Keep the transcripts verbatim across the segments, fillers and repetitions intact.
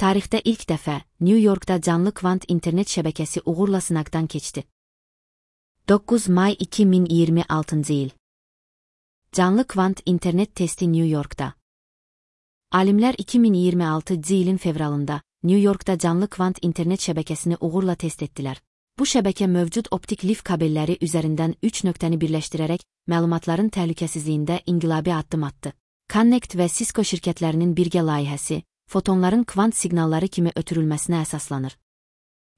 tarixdə ilk dəfə New Yorkda canlı kvant internet şəbəkəsi uğurla sınaqdan keçdi. doqquz may iki min iyirmi altıncı il. Canlı kvant internet testi New Yorkda. Alimlər iki min iyirmi altıncı ilin fevralında New Yorkda canlı kvant internet şəbəkəsini uğurla test etdilər. Bu şəbəkə mövcud optik lif kabelləri üzərindən üç nöqtəni birləşdirərək məlumatların təhlükəsizliyində inqilabi addım atdı. Connect və Cisco şirkətlərinin birgə layihəsi, fotonların kvant siqnalları kimi ötürülməsinə əsaslanır.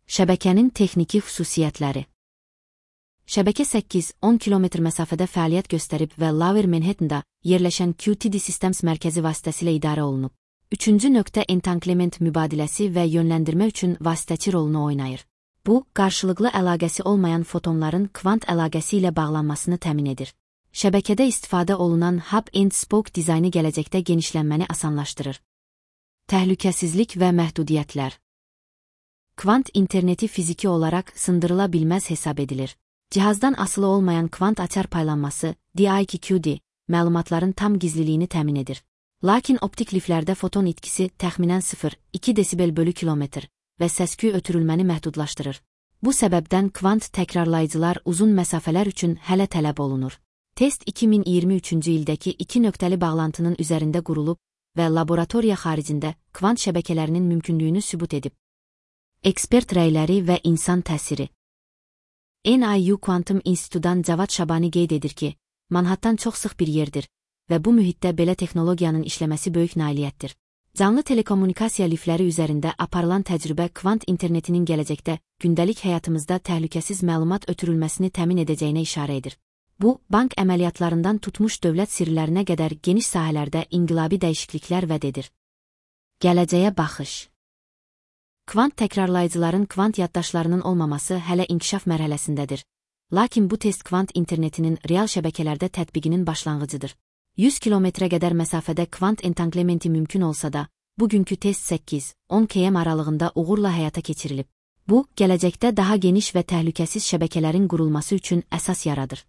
Şəbəkənin texniki xüsusiyyətləri. Şəbəkə səkkiz on kilometr məsafədə fəaliyyət göstərib və Lower Manhattan'da yerləşən Q T D Systems mərkəzi vasitəsilə idarə olunub. Üçüncü nöqtə entanglement mübadiləsi və yönləndirmə üçün vasitəçi rolunu oynayır. Bu, qarşılıqlı əlaqəsi olmayan fotonların kvant əlaqəsi ilə bağlanmasını təmin edir. Şəbəkədə istifadə olunan hub and spoke dizaynı gələcəkdə genişlənməni asanlaşdırır. Təhlükəsizlik və məhdudiyyətlər. Kvant interneti fiziki olaraq sındırıla bilməz hesab edilir. Cihazdan asılı olmayan kvant açar paylanması, D I Q Q D, məlumatların tam gizliliyini təmin edir. Lakin optik liflərdə foton itkisi təxminən sıfır nöqtə iki desibel bölü kilometr və səsküy ötürülməni məhdudlaşdırır. Bu səbəbdən kvant təkrarlayıcılar uzun məsafələr üçün hələ tələb olunur. Test iki min iyirmi üçüncü ildəki iki nöqtəli bağlantının üzərində qurulub və laboratoriya xaricində kvant şəbəkələrinin mümkünlüyünü sübut edib. Ekspert rəyləri və insan təsiri. N I U Quantum İnstitutdan Cavad Şabani qeyd edir ki, Manhattan çox sıx bir yerdir və bu mühitdə belə texnologiyanın işləməsi böyük nailiyyətdir. Canlı telekommunikasiya lifləri üzərində aparılan təcrübə kvant internetinin gələcəkdə gündəlik həyatımızda təhlükəsiz məlumat ötürülməsini təmin edəcəyinə işarə edir. Bu, bank əməliyyatlarından tutmuş dövlət sirlərinə qədər geniş sahələrdə inqilabi dəyişikliklər vəd edir. Gələcəyə baxış. Kvant təkrarlayıcıların kvant yaddaşlarının olmaması hələ inkişaf mərhələsindədir. Lakin bu test kvant internetinin real şəbəkələrdə tətbiqinin başlanğıcıdır. yüz kilometrə qədər məsafədə kvant entanglementi mümkün olsa da, bugünkü test səkkiz on kilometr aralığında uğurla həyata keçirilib. Bu, gələcəkdə daha geniş və təhlükəsiz şəbəkələrin qurulması üçün əsas yaradır.